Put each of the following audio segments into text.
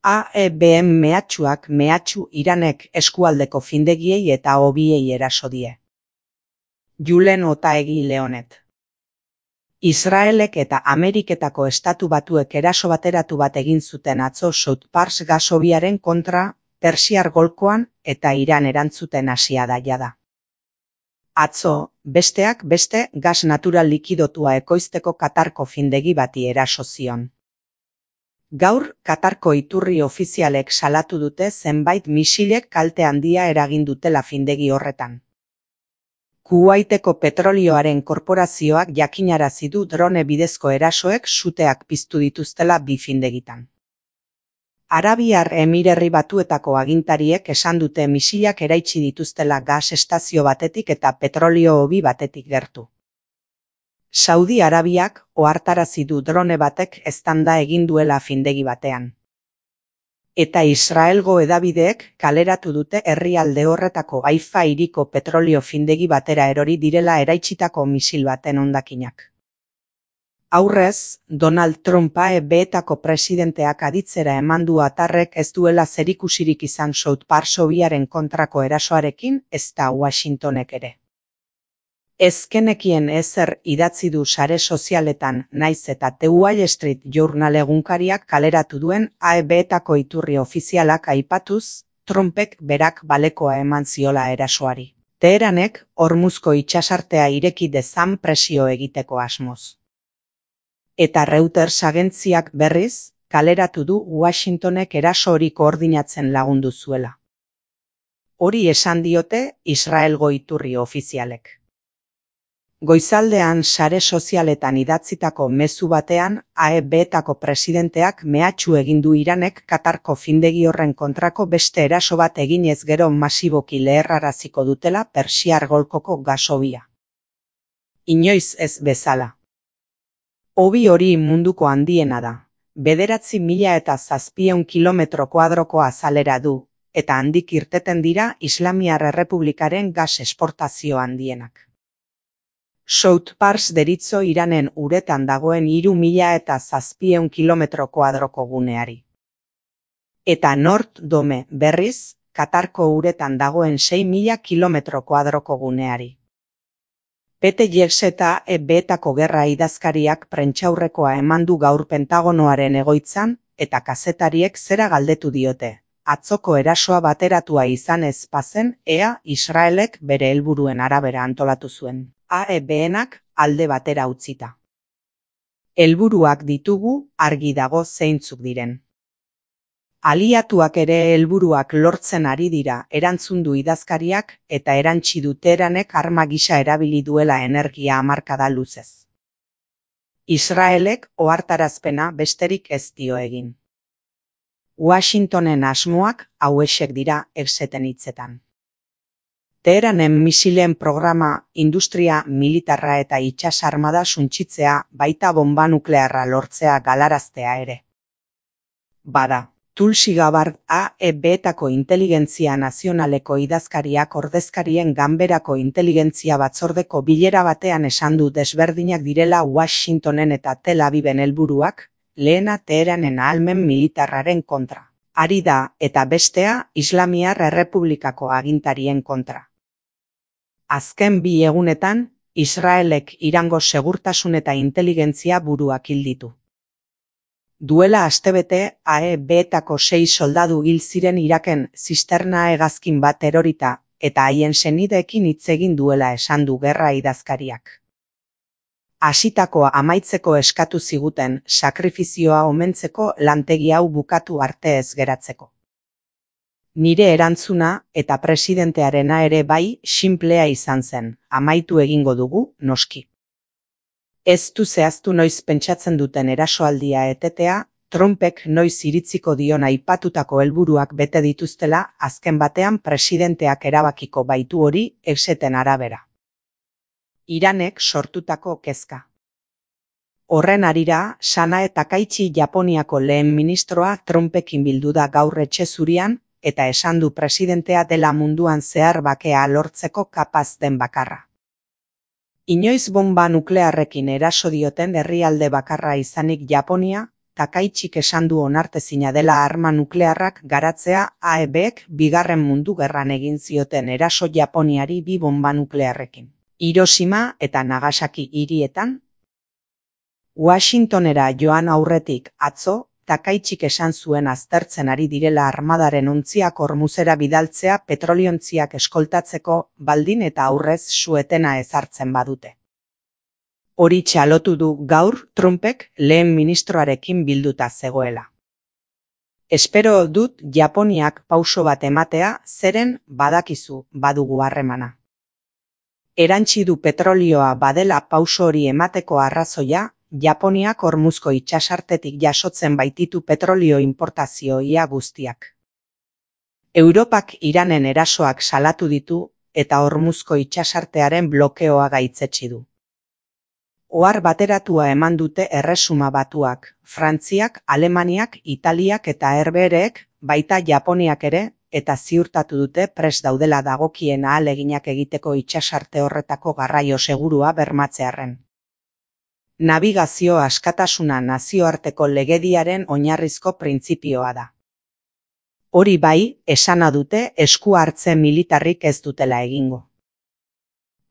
AEBM mehatxu Iranek eskualdeko findegiei eta hobiei eraso die. Julen Otaegi Leonet. Israelek eta Ameriketako Estatu Batuek eraso bateratu bat egin zuten atzo South Pars gasobiaren kontra, Persiar Golkoan eta Iran erantzuten hasia da jada. Atzo, besteak beste, gas natural likidotua ekoizteko Katarko findegi bati eraso zion. Gaur, Katarko iturri ofizialek salatu dute zenbait misilek kalte handia eragin dutela findegi horretan. Kuwaiteko petrolioaren korporazioak jakinarazi du drone bidezko erasoek suteak piztu dituztela bi findegitan. Arabiar Emirerri Batuetako agintariek esan dute misilak eraitsi dituztela gas estazio batetik eta petrolio hobi batetik gertu. Saudi Arabiak ohartarazi du drone batek eztanda egin duela findegi batean. Eta Israelgo hedabideek kaleratu dute herrialde horretako Haifa hiriko petrolio findegi batera erori direla eraitsitako misil baten hondakinak. Aurrez, Donald Trump AEBetako presidenteak aditzera eman du atarrek ez duela zerikusirik izan South Pars hobiaren kontrako erasoarekin, ezta Washingtonek ere. Ezkenekien ezer idatzi du sare sozialetan naiz eta The Wall Street Journal egunkariak kaleratu duen AEBetako iturri ofizialak aipatuz, Trumpek berak balekoa eman ziola erasoari. Teheranek Hormuzko itsasartea ireki dezan presio egiteko asmoz. Eta Reuters agentziak berriz, kaleratu du Washingtonek eraso hori koordinatzen lagundu zuela. Hori esan diote Israelgo iturri ofizialek. Goizaldean sare sozialetan idatzitako mezu batean, AEBetako presidenteak mehatxu egin du Iranek Katarko findegi horren kontrako beste eraso bat eginez gero masiboki leherraraziko dutela Persiar Golkoko gasobia. Inoiz ez bezala. Hobi hori munduko handiena da, 9.700 kilometro kuadroko azalera du, eta handik irteten dira Islamiar Errepublikaren gas esportazio handienak. South Pars deritzo Iranen uretan dagoen 3.700 kilometro kuadroko guneari. Eta North Dome berriz, Katarko uretan dagoen 6.000 kilometro kuadroko guneari. Pete Jeks eta AEBetako gerra idazkariak prentsaurrekoa eman du gaur Pentagonoaren egoitzan, eta kazetariek zera galdetu diote. Atzoko erasoa bateratua izan ez bazen, ea Israelek bere helburuen arabera antolatu zuen. AEBenak alde batera utzita. Helburuak ditugu, argi dago zeintzuk diren. Aliatuak ere helburuak lortzen ari dira, erantzun du idazkariak eta erantsi du Teheranek arma gisa erabili duela energia hamarkada luzez. Israelek ohartarazpena besterik ez dio egin. Washingtonen asmoak hauexek dira Exeten hitzetan. Teheranen misilen programa, industria militarra eta itsas armada suntsitzea, baita bonba nuklearra lortzea galaraztea ere. Bada, Tulsi Gabbard AEBetako inteligentzia nazionaleko idazkariak ordezkarien ganberako inteligentzia batzordeko bilera batean esan du desberdinak direla Washingtonen eta Tel Aviven helburuak, lehena Teheranen ahalmen militarraren kontra. Ari da, eta bestea, Islamiar Errepublikako agintarien kontra. Azken bi egunetan, Israelek Irango segurtasun eta inteligentzia buruak hil ditu. Duela astebete, AEBetako 6 soldadu hil ziren Iraken zisterna hegazkin bat erorita, eta haien senideekin hitz egin duela esan du gerra idazkariak. Hasitakoa amaitzeko eskatu ziguten, sakrifizioa omentzeko lantegi hau bukatu arte ez geratzeko. Nire erantzuna eta presidentearena ere bai sinplea izan zen, amaitu egingo dugu, noski. Ez du zehaztu noiz pentsatzen duten erasoaldia etetea, Trumpek noiz iritziko dion aipatutako helburuak bete dituztela, azken batean presidenteak erabakiko baitu hori Exeten arabera. Iranek sortutako kezka. Horren harira, Sanae Takaichi Japoniako lehen ministroa Trumpekin bildu da gaur Etxe Zurian, eta esan du presidentea dela munduan zehar bakea lortzeko kapaz den bakarra. Inoiz bonba nuklearrekin eraso dioten herrialde bakarra izanik Japonia, Takaitxik esan du onartezina dela arma nuklearrak garatzea AEBek Bigarren Mundu Gerran egin zioten eraso Japoniari 2 bonba nuklearrekin. Hiroshima eta Nagasaki hirietan. Washingtonera joan aurretik atzo, Takaitxik esan zuen aztertzen ari direla armadaren ontziak Hormuzera bidaltzea petroliontziak eskoltatzeko baldin eta aurrez su-etena ezartzen badute. Hori txalotu du gaur Trumpek lehen ministroarekin bilduta zegoela. Espero dut Japoniak pauso bat ematea, zeren badakizu badugu harremana. Erantsi du petrolioa badela pauso hori emateko arrazoia, Japoniak Hormuzko itsasartetik jasotzen baititu petrolio importazioia guztiak. Europak Iranen erasoak salatu ditu eta Hormuzko itsasartearen blokeoa gaitzetsi du. Ohar bateratua eman dute Erresuma Batuak, Frantziak, Alemaniak, Italiak eta Herbehereek, baita Japoniak ere, eta ziurtatu dute prest daudela dagokien ahaleginak egiteko itsasarte horretako garraio segurua bermatzearren. Nabigazio askatasuna nazioarteko legediaren oinarrizko printzipioa da. Hori bai, esana dute esku hartze militarrik ez dutela egingo.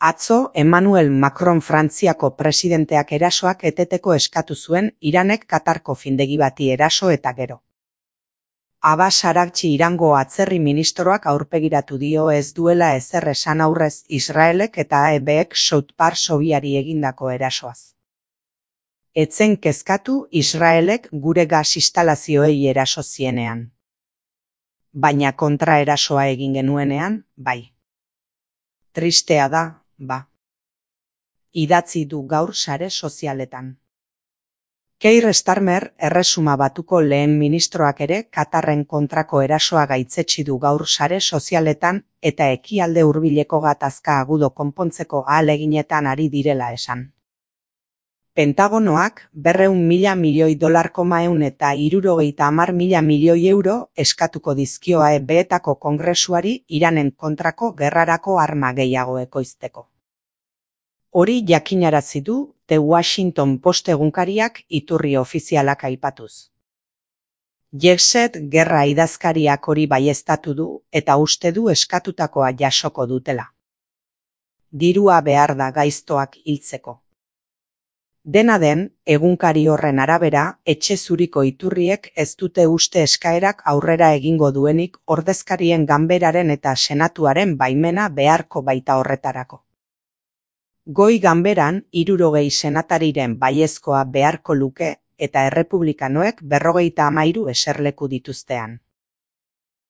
Atzo, Emmanuel Macron Frantziako presidenteak erasoak eteteko eskatu zuen Iranek Katarko findegi bati eraso eta gero. Abbas Araghchi Irango atzerri ministroak aurpegiratu dio ez duela ezer esan aurrez Israelek eta AEBek Soutpar Sobiari egindako erasoaz. Etzen kezkatu Israelek gure gas instalazioei eraso zienean. Baina kontraerasoa egin genuenean, bai. Tristea da, ba. Idatzi du gaur sare sozialetan. Keir Starmer, Erresuma Batuko lehen ministroak ere Katarren kontrako erasoa gaitzetsi du gaur sare sozialetan eta ekialde hurbileko gatazka agudo konpontzeko ahaleginetan ari direla esan. Pentagonoak 200.000 milioi $100 eta 70.000 milioi euro eskatuko dizkio AEBetako kongresuari Iranen kontrako gerrarako arma gehiago ekoizteko. Hori jakinarazi du The Washington Post egunkariak iturri ofizialak aipatuz. Yexet gerra idazkariak hori baieztatu du eta uste du eskatutakoa jasoko dutela. Dirua behar da gaiztoak hiltzeko. Dena den, egunkari horren arabera, etxe zuriko iturriek ez dute uste eskaerak aurrera egingo duenik ordezkarien ganberaren eta senatuaren baimena beharko baita horretarako. Goi ganberan 60 senatariren baiezkoa beharko luke eta errepublikanoek 53 eserleku dituztean.